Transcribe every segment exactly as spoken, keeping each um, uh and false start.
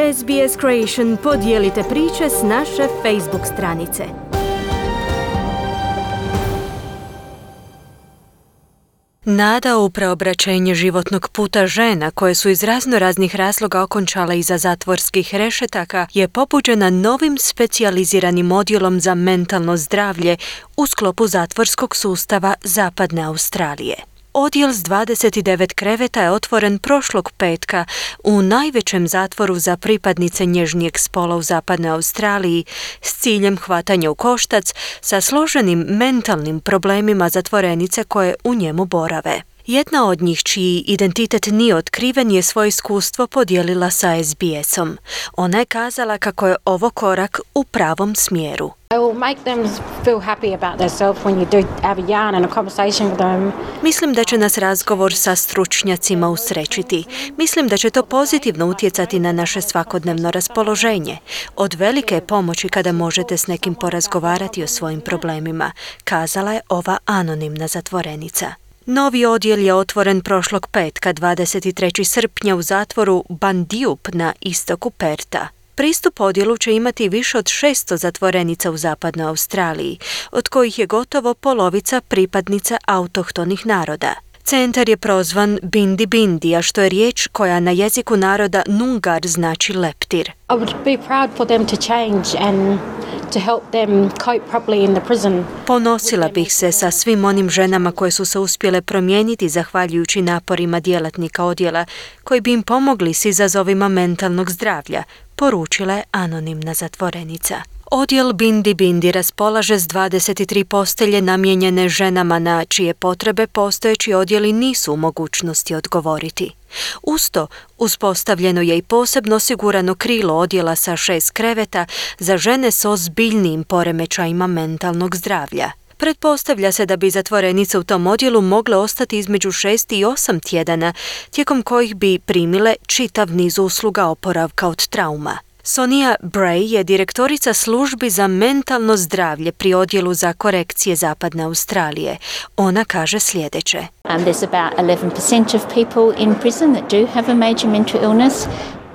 S B S Creation podijelite priče s naše Facebook stranice. Nada u preobraćenje životnog puta žena koje su iz razno raznih razloga okončale iza zatvorskih rešetaka je pobuđena novim specijaliziranim odjelom za mentalno zdravlje u sklopu zatvorskog sustava Zapadne Australije. Odjel s dvadeset devet kreveta je otvoren prošlog petka u najvećem zatvoru za pripadnice nježnijeg spola u Zapadnoj Australiji s ciljem hvatanja u koštac sa složenim mentalnim problemima zatvorenice koje u njemu borave. Jedna od njih, čiji identitet nije otkriven, je svoje iskustvo podijelila sa S B S-om. Ona je kazala kako je ovo korak u pravom smjeru. Mislim da će nas razgovor sa stručnjacima usrećiti. Mislim da će to pozitivno utjecati na naše svakodnevno raspoloženje. Od velike je pomoći kada možete s nekim porazgovarati o svojim problemima, kazala je ova anonimna zatvorenica. Novi odjel je otvoren prošlog petka, dvadeset trećeg srpnja u zatvoru Bandijup na istoku Perta. Pristup odjelu će imati više od šesto zatvorenica u Zapadnoj Australiji, od kojih je gotovo polovica pripadnica autohtonih naroda. Centar je prozvan Bindi Bindi, a što je riječ koja na jeziku naroda Nungar znači leptir. I would be proud for them to change and to help them cope properly in the prison. Ponosila bih se sa svim onim ženama koje su se uspjele promijeniti zahvaljujući naporima djelatnika odjela koji bi im pomogli s izazovima mentalnog zdravlja, poručila je anonimna zatvorenica. Odjel Bindi Bindi raspolaže s dvadeset tri postelje namijenjene ženama na čije potrebe postojeći odjeli nisu u mogućnosti odgovoriti. Usto, uspostavljeno je i posebno osigurano krilo odjela sa šest kreveta za žene s ozbiljnijim poremećajima mentalnog zdravlja. Pretpostavlja se da bi zatvorenice u tom odjelu mogle ostati između šest i osam tjedana, tijekom kojih bi primile čitav niz usluga oporavka od trauma. Sonia Bray je direktorica službi za mentalno zdravlje pri odjelu za korekcije Zapadne Australije. Ona kaže sljedeće. Um, there's about eleven percent of people in prison that do have a major mental illness.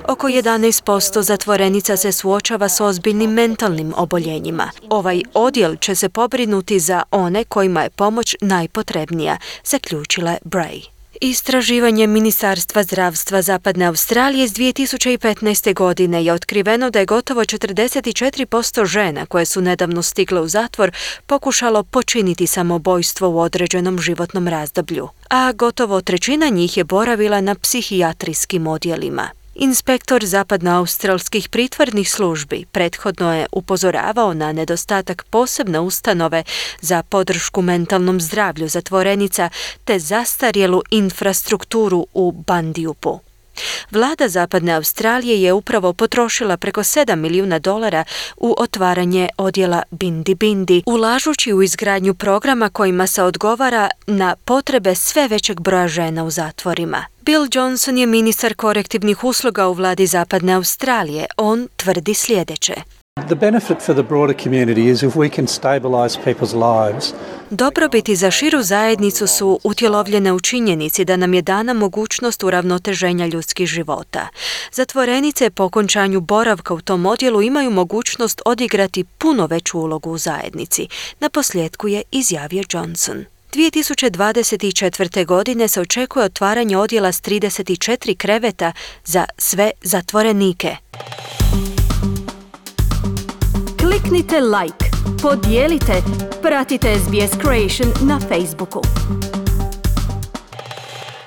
Oko jedanaest posto zatvorenica se suočava s ozbiljnim mentalnim oboljenjima. Ovaj odjel će se pobrinuti za one kojima je pomoć najpotrebnija, zaključila je Bray. Istraživanje Ministarstva zdravstva Zapadne Australije iz dvije tisuće petnaeste. godine je otkriveno da je gotovo četrdeset četiri posto žena koje su nedavno stigle u zatvor pokušalo počiniti samoubojstvo u određenom životnom razdoblju, a gotovo trećina njih je boravila na psihijatrijskim odjelima. Inspektor zapadnoaustralskih pritvornih službi prethodno je upozoravao na nedostatak posebne ustanove za podršku mentalnom zdravlju zatvorenica te zastarjelu infrastrukturu u Bandijupu. Vlada Zapadne Australije je upravo potrošila preko sedam milijuna dolara u otvaranje odjela Bindi Bindi, ulažući u izgradnju programa kojima se odgovara na potrebe sve većeg broja žena u zatvorima. Bill Johnson je ministar korektivnih usluga u vladi Zapadne Australije. On tvrdi sljedeće. The benefit for the broader community is if we can stabilize people's lives. Dobrobiti za širu zajednicu su utjelovljene u činjenici da nam je dana mogućnost uravnoteženja ljudskih života. Zatvorenice po okončanju boravka u tom odjelu imaju mogućnost odigrati puno veću ulogu u zajednici, naposljetku je izjavio Johnson. dvije tisuće dvadeset četvrte. godine se očekuje otvaranje odjela s trideset četiri kreveta za sve zatvorenike. Kliknite like, podijelite, pratite S B S Creation na Facebooku.